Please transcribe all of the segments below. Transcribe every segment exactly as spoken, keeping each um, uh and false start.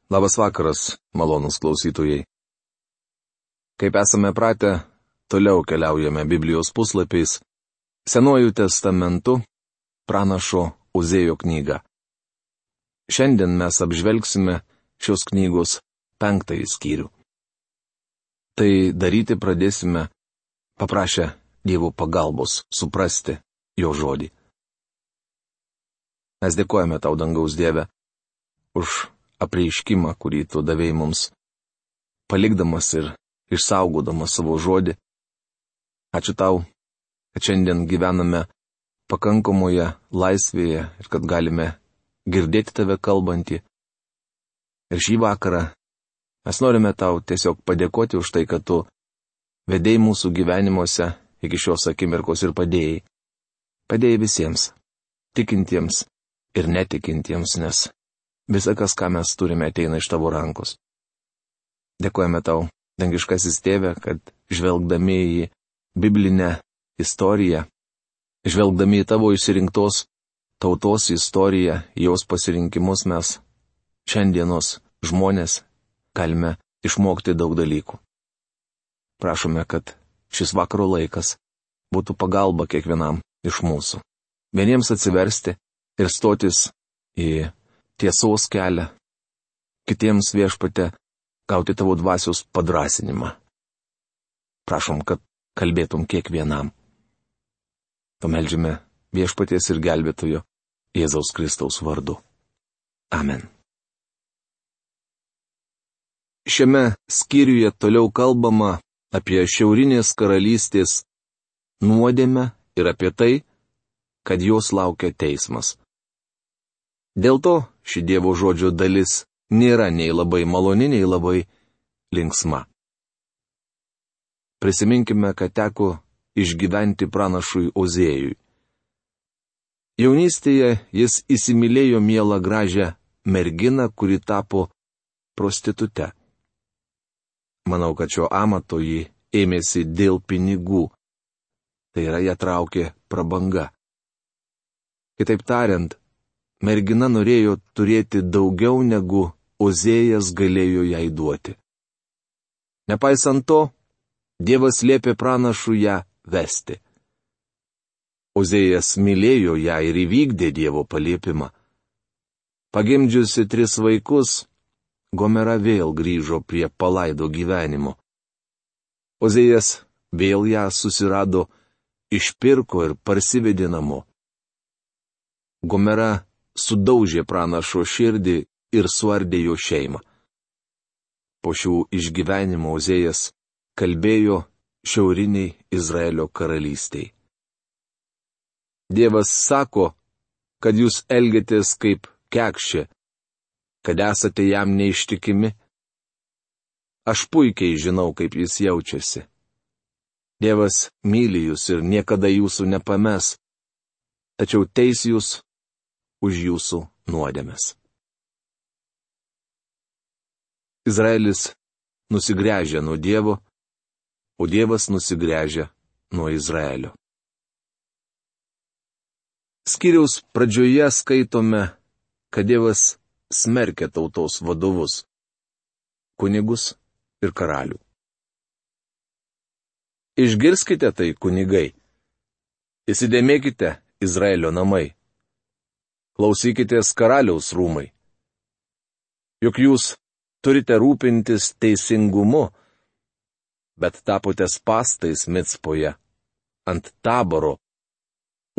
Labas vakaras, malonūs klausytojai. Kaip esame pratę, toliau keliaujame Biblijos puslapiais, Senuoju testamentu, pranašo Ozėjo knygą. Šiandien mes apžvelgsime šios knygos penktąjį skyrių. Tai daryti pradėsime paprašę Dievo pagalbos suprasti jo žodį. Mes dėkojame tau, dangaus Dieve, už apreiškimą, kurį tu davei mums, palikdamas ir išsaugodamas savo žodį. Ačiū tau, kad šiandien gyvename pakankamoje laisvėje ir kad galime girdėti tave kalbantį. Ir šį vakarą mes norime tau tiesiog padėkoti už tai, kad tu vedei mūsų gyvenimuose iki šios akimirkos ir padėjai. Padėjai visiems, tikintiems ir netikintiems, nes visa, kas, ką mes turime, ateina iš tavo rankos. Dėkojame tau, dangiškasis Tėve, kad žvelgdami į biblinę istoriją, žvelgdami į tavo išsirinktos tautos istoriją, jos pasirinkimus, mes šiandienos žmonės galime išmokti daug dalykų. Prašome, kad šis vakaro laikas būtų pagalba kiekvienam iš mūsų. Vieniems atsiversti ir stotis į tiesos kelią, kitiems, Viešpatie, gauti tavo dvasios padrasinimą. Prašom, kad kalbėtum kiekvienam. Pameldžiame Viešpaties ir gelbėtojo Jėzaus Kristaus vardu. Amen. Šiame skyriuje toliau kalbama apie šiaurinės karalystės nuodėmę ir apie tai, kad jos laukia teismas. Dėl to ši Dievo žodžio dalis nėra nei labai maloni, nei labai linksma. Prisiminkime, kad teko išgyventi pranašui Ozėjui. Jaunystėje jis įsimylėjo mielą gražią merginą, kuri tapo prostitute. Manau, kad šio amato ji ėmėsi dėl pinigų. Tai yra, ją traukė prabanga. Kitaip tariant, mergina norėjo turėti daugiau, negu Ozėjas galėjo jai duoti. Nepaisant to, Dievas liepė pranašui ją vesti. Ozėjas mylėjo ją ir įvykdė Dievo paliepimą. Pagimdžiusi tris vaikus, Gomera vėl grįžo prie palaido gyvenimo. Ozėjas vėl ją susirado, išpirko ir parsivedė namo. Gomera sudaužė pranašo širdį ir suardė jo šeimą. Po šių išgyvenimų Ozėjas kalbėjo šiauriniai Izraelio karalystiai. Dievas sako, kad jūs elgiatės kaip kekšė, kad esate jam neištikimi. Aš puikiai žinau, kaip jis jaučiasi. Dievas myli jūs ir niekada jūsų nepames, tačiau teis jūs už jūsų nuodėmes. Izraelis nusigręžia nuo Dievo, o Dievas nusigręžia nuo Izraelio. Skyriaus pradžioje skaitome, kad Dievas smerkia tautos vadovus, kunigus ir karalių. Išgirskite tai, kunigai. Įsidėmėkite, Izraelio namai. Klausykitės, karaliaus rūmai. Juk jūs turite rūpintis teisingumu, bet tapote spąstais Micpoje, ant Taboro,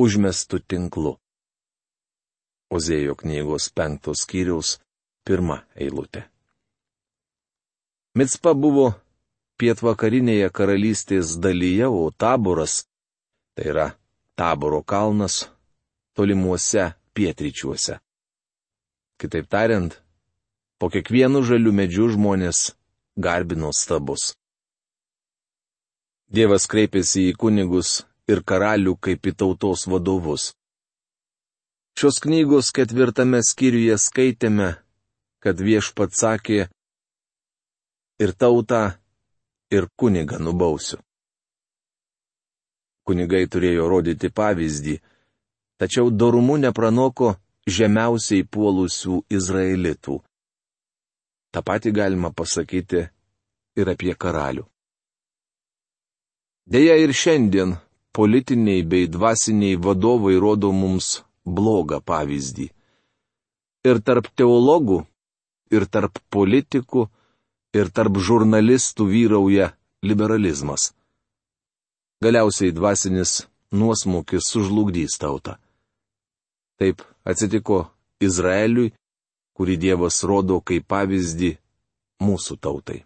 užmestų tinklu. Ozėjo knygos penktos skyriaus pirma eilutė. Micpa buvo pietvakarinėje karalystės dalyje, o Taboras, tai yra Taboro kalnas, tolimuose pietryčiuose. Kitaip tariant, po kiekvienu žaliu medžiu žmonės garbino stabus. Dievas kreipėsi į kunigus ir karalių kaip į tautos vadovus. Šios knygos ketvirtame skyriuje skaitėme, kad Viešpats sakė, ir tautą, ir kunigą nubausiu. Kunigai turėjo rodyti pavyzdį, tačiau dorumu nepranoko žemiausiai puolusių izraelitų. Ta pati galima pasakyti ir apie karalių. Deja ir šiandien politiniai bei dvasiniai vadovai rodo mums blogą pavyzdį. Ir tarp teologų, ir tarp politikų, ir tarp žurnalistų vyrauja liberalizmas. Galiausiai dvasinis nuosmukis sužlugdys tautą. Taip atsitiko Izraeliui, kurį Dievas rodo kaip pavyzdį mūsų tautai.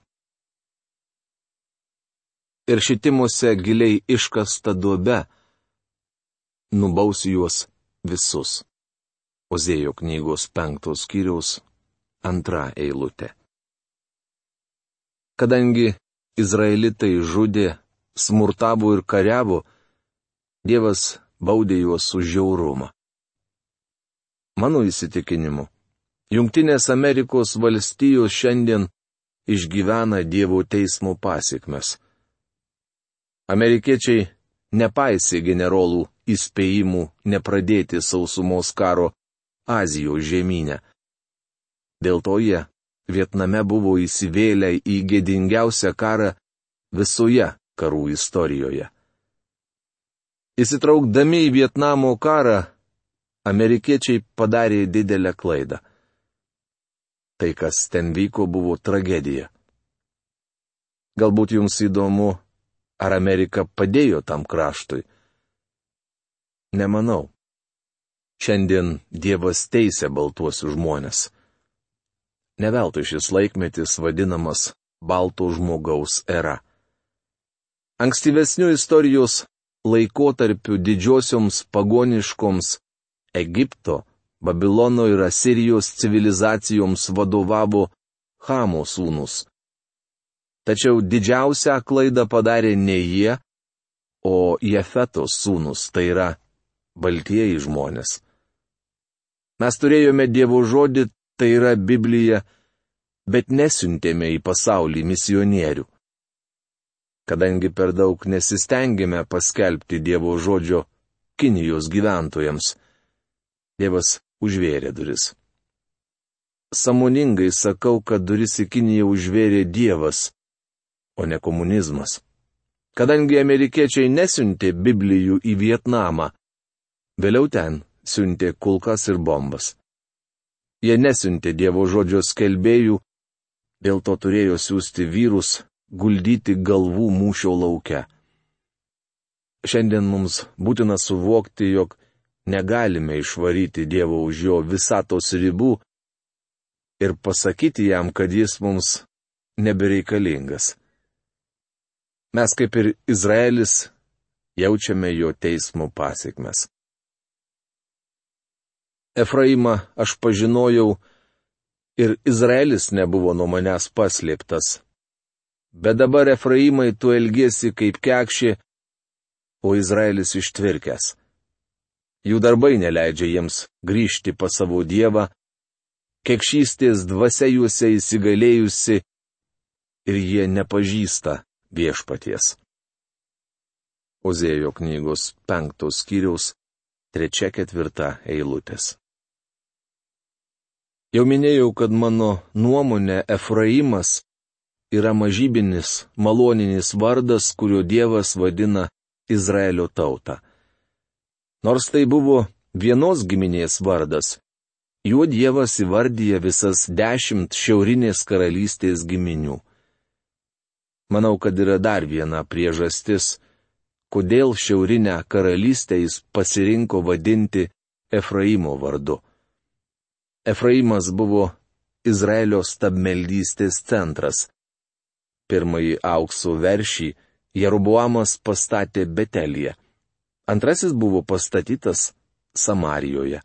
Ir šitimuose giliai iškasta duobe nubaus juos visus. Ozėjo knygos penktos skyriaus antra eilutė. Kadangi izraelitai žudė, smurtavo ir kariavo, Dievas baudė juos už žiaurumą. Mano įsitikinimu, Jungtinės Amerikos valstijos šiandien išgyvena Dievo teismo pasekmes. Amerikiečiai nepaisė generolų įspėjimų nepradėti sausumos karo Azijos žemyne. Dėl to jie Vietname buvo įsivėlę į gėdingiausią karą visoje karų istorijoje. Įsitraukdami į Vietnamo karą, amerikiečiai padarė didelę klaidą. Tai, kas ten vyko, buvo tragedija. Galbūt jums įdomu, ar Amerika padėjo tam kraštui? Nemanau. Šiandien Dievas teisia baltuosius žmonės. Ne veltui šis laikmetis vadinamas balto žmogaus era. Ankstyvesnių istorijos laikotarpių didžiosioms pagoniškoms Egipto, Babilono ir Asirijos civilizacijoms vadovavo Chamo sūnus. Tačiau didžiausią klaidą padarė ne jie, o Jefetos sūnus, tai yra baltieji žmonės. Mes turėjome Dievo žodį, tai yra Biblija, bet nesiuntėme į pasaulį misionierių. Kadangi per daug nesistengėme paskelbti Dievo žodžio Kinijos gyventojams, Dievas užvėrė duris. Sąmoningai sakau, kad duris į Kiniją užvėrė Dievas, o ne komunizmas. Kadangi amerikiečiai nesiuntė Biblijų į Vietnamą, vėliau ten siuntė kulkas ir bombas. Jie nesiuntė Dievo žodžio skelbėjų, dėl to turėjo siųsti vyrus guldyti galvų mūšio lauke. Šiandien mums būtina suvokti, jog negalime išvaryti Dievo už jo visatos ribų ir pasakyti jam, kad jis mums nebereikalingas. Mes kaip ir Izraelis jaučiame jo teismo pasekmes. Efraimą aš pažinojau ir Izraelis nebuvo nuo manęs paslėptas. Bet dabar Efraimai tu elgiesi kaip kekšė, o Izraelis ištvirkęs. Jų darbai neleidžia jiems grįžti pas savo Dievą, kekšystės dvasia juose įsigalėjusi ir jie nepažįsta viešpaties. Ozėjo knygos penktos skyriaus trečia ketvirta eilutės. Jau minėjau, kad mano nuomonė Efraimas yra mažybinis, maloninis vardas, kurio Dievas vadina Izraelio tautą. Nors tai buvo vienos giminės vardas, juo Dievas įvardyja visas dešimt šiaurinės karalystės giminių. Manau, kad yra dar viena priežastis, kodėl šiaurinę karalystę jis pasirinko vadinti Efraimo vardu. Efraimas buvo Izraelio stabmeldystės centras. Pirmąjį aukso veršį Jeroboamas pastatė Betelyje. Antrasis buvo pastatytas Samarijoje.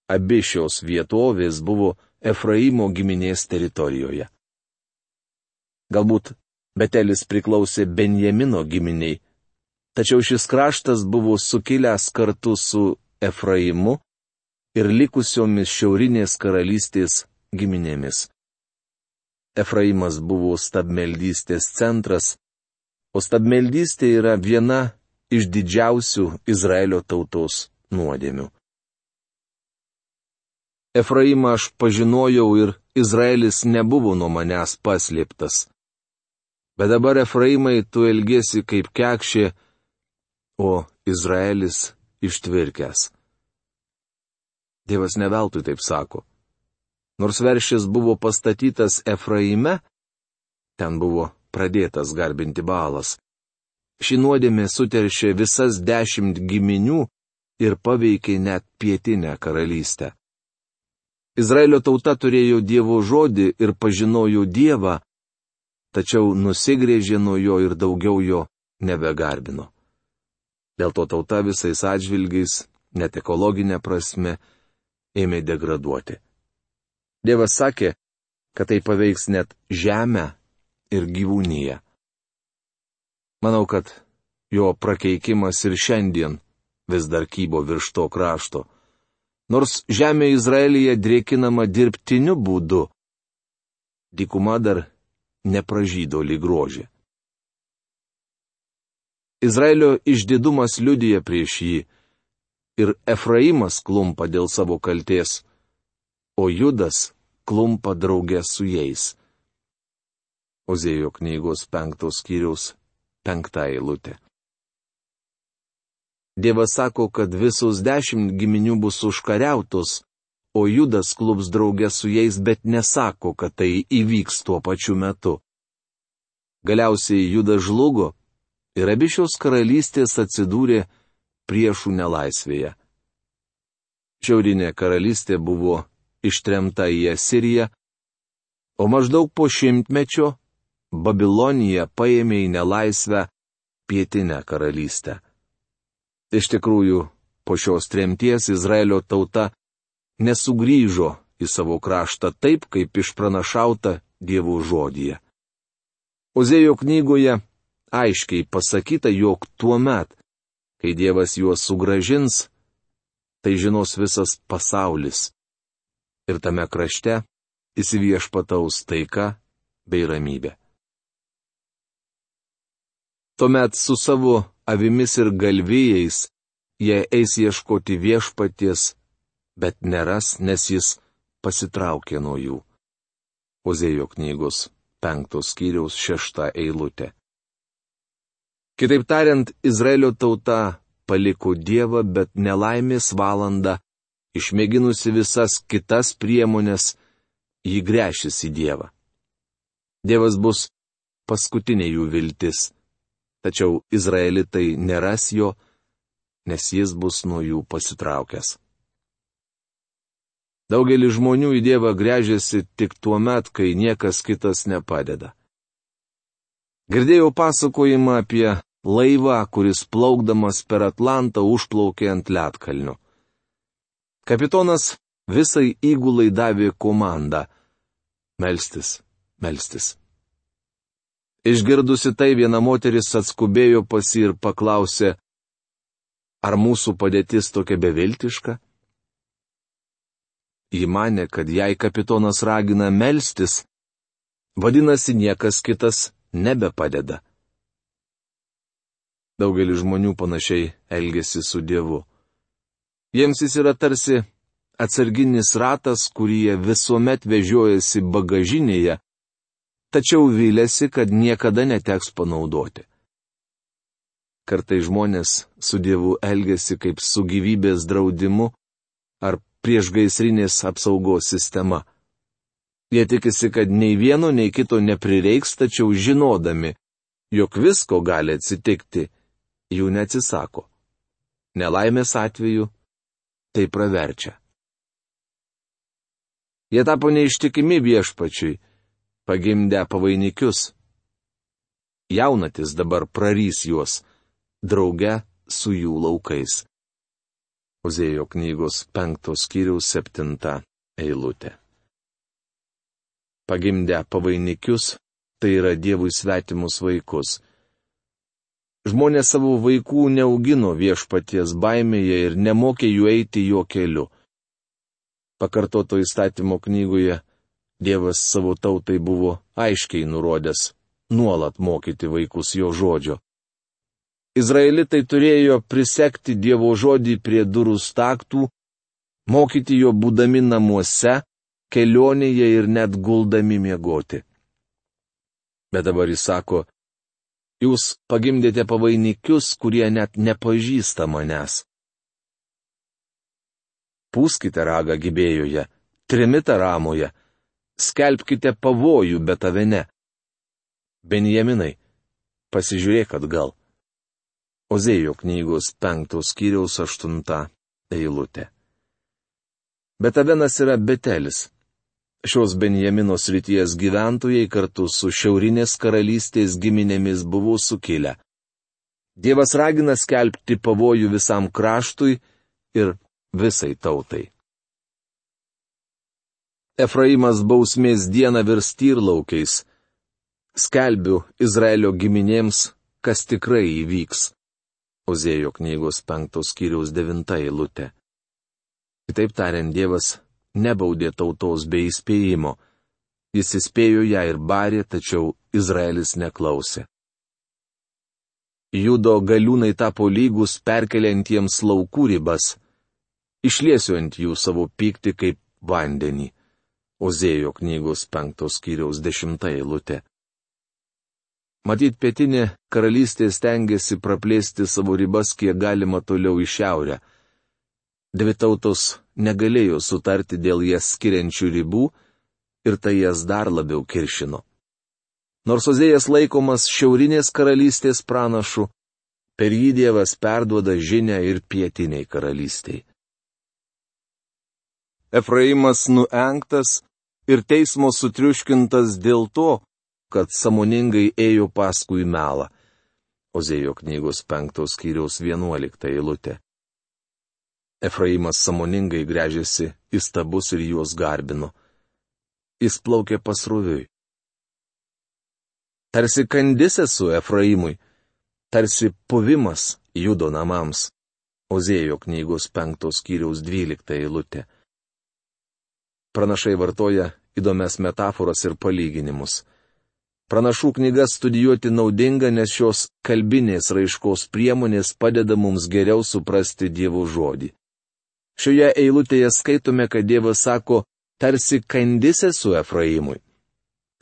Abi šios vietovės buvo Efraimo giminės teritorijoje. Galbūt Betelis priklausė Benjamino giminiai, tačiau šis kraštas buvo sukilęs kartu su Efraimu ir likusiomis šiaurinės karalystės giminėmis. Efraimas buvo stabmeldystės centras, o stabmeldystė yra viena iš didžiausių Izraelio tautos nuodėmių. Efraimą aš pažinojau ir Izraelis nebuvo nuo manęs paslėptas. Bet dabar, Efraimai, tu elgiesi kaip kekšė, o Izraelis ištvirkęs. Dievas neveltui taip sako. Nors veršis buvo pastatytas Efraime, ten buvo pradėtas garbinti Baalas. Ši nuodėmė suteršė visas dešimt giminių ir paveikė net pietinę karalystę. Izraelio tauta turėjo Dievo žodį ir pažinojo Dievą, tačiau nusigrėžė nuo jo ir daugiau jo nebegarbino. Dėl to tauta visais atžvilgiais, net ekologinė prasme, ėmė degraduoti. Dievas sakė, kad tai paveiks net žemę ir gyvūniją. Manau, kad jo prakeikimas ir šiandien vis dar kybo virš to krašto. Nors žemė Izraelyje drėkinama dirbtiniu būdu, dykuma dar nepražydo lyg rožė. Izraelio išdidumas liudija prieš jį, ir Efraimas klumpa dėl savo kaltės, o Judas klumpa draugė su jais. Ozėjo knygos penktos skyriaus penkta eilutė. Dievas sako, kad visos dešimt giminių bus užkariautos, o Judas klups draugė su jais, bet nesako, kad tai įvyks tuo pačiu metu. Galiausiai Judas žlugo ir abi šios karalystės atsidūrė priešų nelaisvėje. Šiaurinė karalystė buvo ištremta į Asiriją, o maždaug po šimtmečio Babilonija paėmė į nelaisvę pietinę karalystę. Iš tikrųjų, po šios tremties Izraelio tauta nesugrįžo į savo kraštą taip, kaip išpranašauta Dievo žodyje. Ozėjo knygoje aiškiai pasakyta, jog tuomet, kai Dievas juos sugražins, tai žinos visas pasaulis. Ir tame krašte įsiviešpataus taika bei ramybė. Tuomet su savo avimis ir galvijais jie eis ieškoti viešpaties, bet neras, nes jis pasitraukė nuo jų. Ozėjo knygos penktos skyriaus šešta eilutė. Kitaip tariant, Izraelio tauta paliko Dievą, bet nelaimės valanda, išmėginusi visas kitas priemonės, jį gręšis į Dievą. Dievas bus paskutinė jų viltis, tačiau Izraelitai neras jo, nes jis bus nuo jų pasitraukęs. Daugelis žmonių į Dievą gręžiasi tik tuo met, kai niekas kitas nepadeda. Girdėjau pasakojimą apie laivą, kuris plaukdamas per Atlantą užplaukė ant ledkalnio. Kapitonas visai įgulai davė komandą – melstis, melstis. Išgirdusi tai, viena moteris atskubėjo pas jį ir paklausė, ar mūsų padėtis tokia beviltiška? Ji manė, kad jei kapitonas ragina melstis, vadinasi, niekas kitas nebepadeda. Daugelis žmonių panašiai elgesi su Dievu. Jiems jis yra tarsi atsarginis ratas, kurį jie visuomet vežiojasi bagažinėje, tačiau vylėsi, kad niekada neteks panaudoti. Kartai žmonės su Dievu elgesi kaip su gyvybės draudimu ar priešgaisrinės apsaugos sistema. Jie tikisi, kad nei vieno, nei kito neprireiks, tačiau žinodami, jog visko gali atsitikti, jų neatsisako. Nelaimės atveju tai praverčia. Jie tapo neištikimi viešpačiui, pagimdę pavainikius. Jaunatis dabar prarys juos, drauge su jų laukais. Ozėjo knygos penktos skyriaus septinta eilutė. Pagimdę pavainikius, tai yra Dievui svetimus vaikus. Žmonės savo vaikų neaugino viešpaties baimėje ir nemokė jų eiti jo keliu. Pakartoto įstatymo knygoje Dievas savo tautai buvo aiškiai nurodęs nuolat mokyti vaikus jo žodžio. Izraelitai turėjo prisekti Dievo žodį prie durų staktų, mokyti jo būdami namuose, kelionėje ir net guldami miegoti. Bet dabar jis sako, jūs pagimdėte pavainikius, kurie net nepažįsta manęs. Pūskite ragą Gibėjoje, trimitą Ramoje, skelbkite pavojų Betavene. Benjaminai, pasižiūrėk atgal. Ozėjo knygos penktos skyriaus aštunta eilutė. Betavenas yra Betelis. Šios Benjamino srities gyventojai kartu su šiaurinės karalystės giminėmis buvo sukilę. Dievas ragina skelbti pavojų visam kraštui ir visai tautai. Efraimas bausmės dieną virs tyrlaukiais. Skelbiu Izraelio giminėms, kas tikrai įvyks. Ozėjo knygos penktos skyriaus devinta eilutė. Kitaip tariant, Dievas nebaudė tautos be įspėjimo. Jis įspėjo ją ir barė, tačiau Izraelis neklausė. Judo galiūnai tapo lygus perkeliantiems laukų ribas. Išliesiu ant jų savo pyktį kaip vandenį. Ozėjo knygos penktos skyriaus dešimta eilutė. Matyt, pietinė karalystė stengiasi praplėsti savo ribas kiek galima toliau į šiaurę. Dvi tautos negalėjo sutarti dėl jas skiriančių ribų ir tai jas dar labiau kiršino. Nors Ozėjas laikomas šiaurinės karalystės pranašu, per jį Dievas perduoda žinią ir pietiniai karalystiai. Efraimas nuengtas ir teismo sutriuškintas dėl to, kad sąmoningai ėjo paskui melą. Ozėjo knygos penktos skyriaus vienuolikta eilutė. Efraimas sąmoningai gręžėsi į stabus ir juos garbino. Jis plaukė pasroviui. Tarsi kandis esu Efraimui, tarsi puvimas Judo namams. Ozėjo knygos penktos skyriaus dvylikta eilutė. Pranašai vartoja įdomias metaforas ir palyginimus. Pranašų knygas studijuoti naudinga, nes šios kalbinės raiškos priemonės padeda mums geriau suprasti Dievo žodį. Šioje eilutėje skaitome, kad Dievas sako, tarsi kandis esu Efraimui.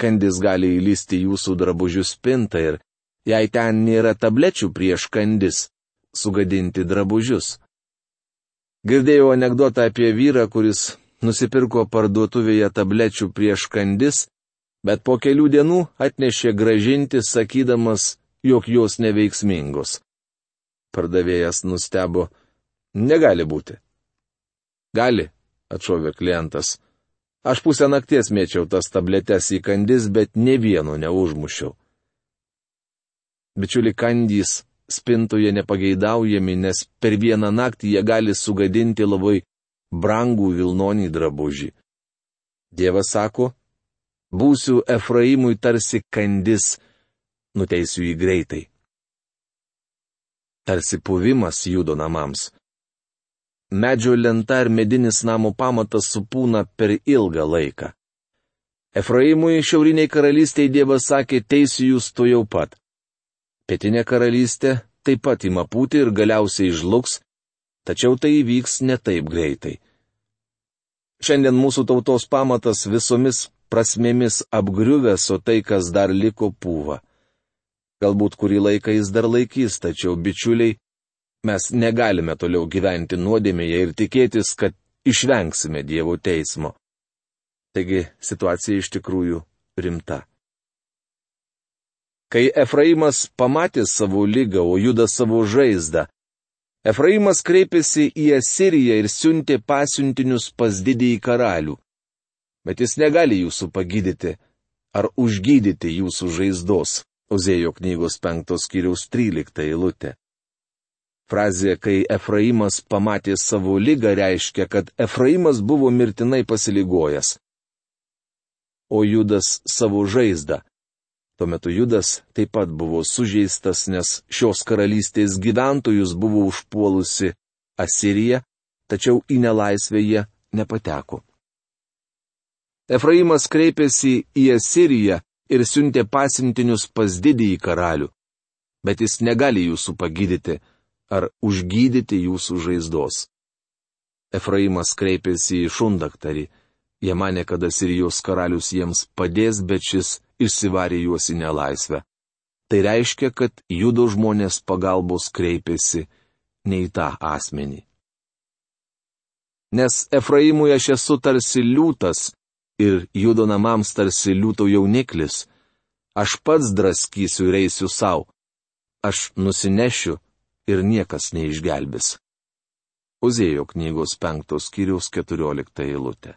Kandis gali įlysti jūsų drabužių spintą ir, jei ten nėra tablečių prieš kandis, sugadinti drabužius. Girdėjau anekdotą apie vyrą, kuris nusipirko parduotuvėje tablečių prieš kandis, bet po kelių dienų atnešė gražinti, sakydamas, jog jos neveiksmingos. Pardavėjas nustebo, negali būti. Gali, atšovė klientas. Aš pusę nakties mėčiau tas tabletes į kandis, bet ne vieno neužmušiau. Bičiuli, kandys spintoje nepageidaujami, nes per vieną naktį jie gali sugadinti labai brangų vilnonį drabužį. Dievas sako, būsiu Efraimui tarsi kandis, nuteisiu jį greitai. Tarsi puvimas Judo namams. Medžio lenta ir medinis namo pamatas supūna per ilgą laiką. Efraimui šiauriniai karalystiai Dievas sakė, teisiu jūs to jau pat. Pietinė karalystė taip pat ima pūti ir galiausiai žlugs, tačiau tai įvyks ne taip greitai. Šiandien mūsų tautos pamatas visomis prasmėmis apgriuvęs, o tai, kas dar liko, pūva. Galbūt kurį laiką jis dar laikys, tačiau, bičiuliai, mes negalime toliau gyventi nuodėmėje ir tikėtis, kad išvengsime Dievo teismo. Taigi situacija iš tikrųjų rimta. Kai Efraimas pamatė savo ligą, o Judas savo žaizdą, Efraimas kreipėsi į Asiriją ir siuntė pasiuntinius pas didįjį karalių. Bet jis negali jūsų pagydyti ar užgydyti jūsų žaizdos. Ozėjo knygos penktos skyriaus trylikta eilutė. Frazė, kai Efraimas pamatė savo ligą, reiškia, kad Efraimas buvo mirtinai pasiligojęs. O Judas savo žaizdą. Tuo metu Judas taip pat buvo sužeistas, nes šios karalystės gyventojus buvo užpuolusi Asirija, tačiau į nelaisvę jie nepateko. Efraimas kreipėsi į Asiriją ir siuntė pasiuntinius pas didįjį karalių, bet jis negali jūsų pagydyti ar užgydyti jūsų žaizdos. Efraimas kreipėsi į šundaktarį, Jie manė, kad Asirijos karalius jiems padės, bet šis išsivarė juos į nelaisvę. Tai reiškia, kad Judo žmonės pagalbos kreipėsi ne į tą asmenį. Nes Efraimui aš esu tarsi liūtas ir Judo namams tarsi liūto jauniklis. Aš pats draskysiu ir eisiu savo. Aš nusinešiu ir niekas neišgelbės. Ozėjo knygos penktos skyriaus keturiolikta eilutė.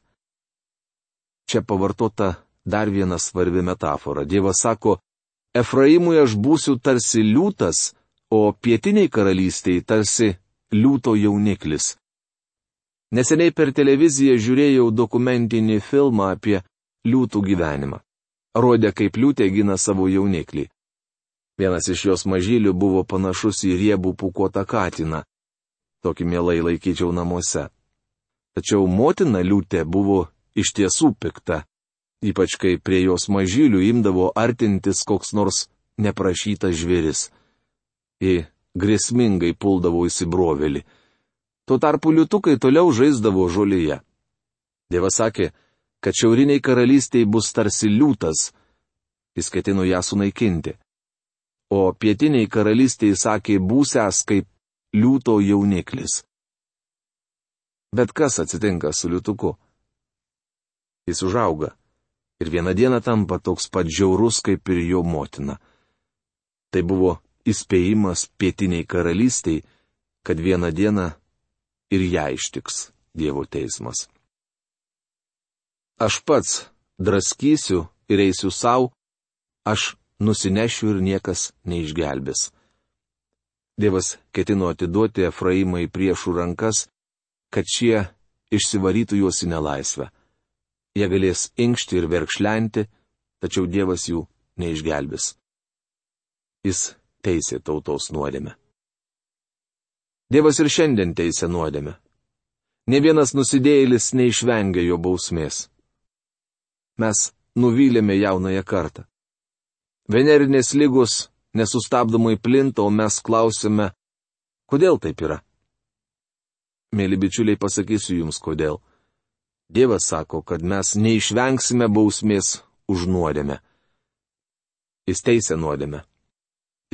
Čia pavartota dar viena svarbi metafora. Dievas sako, Efraimui aš būsiu tarsi liūtas, o pietiniai karalystiai tarsi liūto jauniklis. Neseniai per televiziją žiūrėjau dokumentinį filmą apie liūtų gyvenimą. Rodė, kaip liūtė gina savo jauniklį. Vienas iš jos mažylių buvo panašus į riebų pūkuotą katiną. Tokį mielai laikyčiau namuose. Tačiau motina liūtė buvo iš tiesų pikta, ypač kai prie jos mažylių imdavo artintis koks nors neprašytas žvėris. Ji grėsmingai puldavo įsibrovėlį. Tuo tarpu liūtukai toliau žaisdavo žolėje. Dievas sakė, kad šiauriniai karalystiai bus tarsi liūtas. Jis ketino ją sunaikinti. O pietiniai karalystiai sakė, būsiąs kaip liūto jauniklis. Bet kas atsitinka su liūtuku? Jis užauga ir vieną dieną tampa toks pat žiaurus kaip ir jo motina. Tai buvo įspėjimas pietiniai karalystiai, kad vieną dieną ir ją ištiks Dievo teismas. Aš pats draskysiu ir eisiu savo, aš nusinešiu ir niekas neišgelbės. Dievas ketino atiduoti Efraimą į priešų rankas, kad šie išsivarytų juos į nelaisvę. Jie galės inkšti ir verkšlenti, tačiau Dievas jų neišgelbės. Jis teisė tautos nuodėmę. Dievas ir šiandien teisė nuodėmę. Ne vienas nusidėjėlis neišvengia jo bausmės. Mes nuvylėme jaunąją kartą. Venerinės ligos nesustabdomai plinta, o mes klausime, kodėl taip yra. Mėly bičiuliai, pasakysiu jums kodėl. Dievas sako, kad mes neišvengsime bausmės už nuodėmę. Jis teisė nuodėmę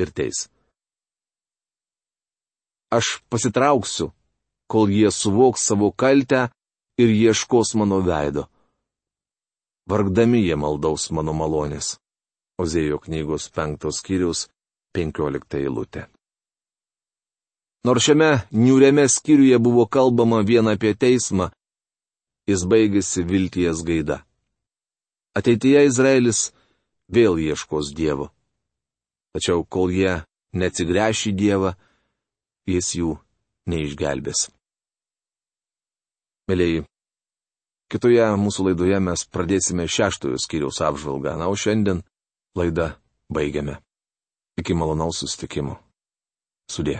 ir teis. Aš pasitrauksiu, kol jie suvoks savo kaltę ir ieškos mano veido. Vargdami jie maldaus mano malonės. Ozėjo knygos penktos skyriaus penkiolikta eilutė. Nors šiame niūriame skyriuje buvo kalbama vien apie teismą, jis baigėsi vilties gaida. Ateityje Izraelis vėl ieškos Dievo. Tačiau kol jie neatsigręš į Dievą, jis jų neišgelbės. Mėlyji, kitoje mūsų laidoje mes pradėsime šeštojo skyriaus apžvalgą, na, o šiandien laidą baigiame. Iki malonaus susitikimo. Sudie.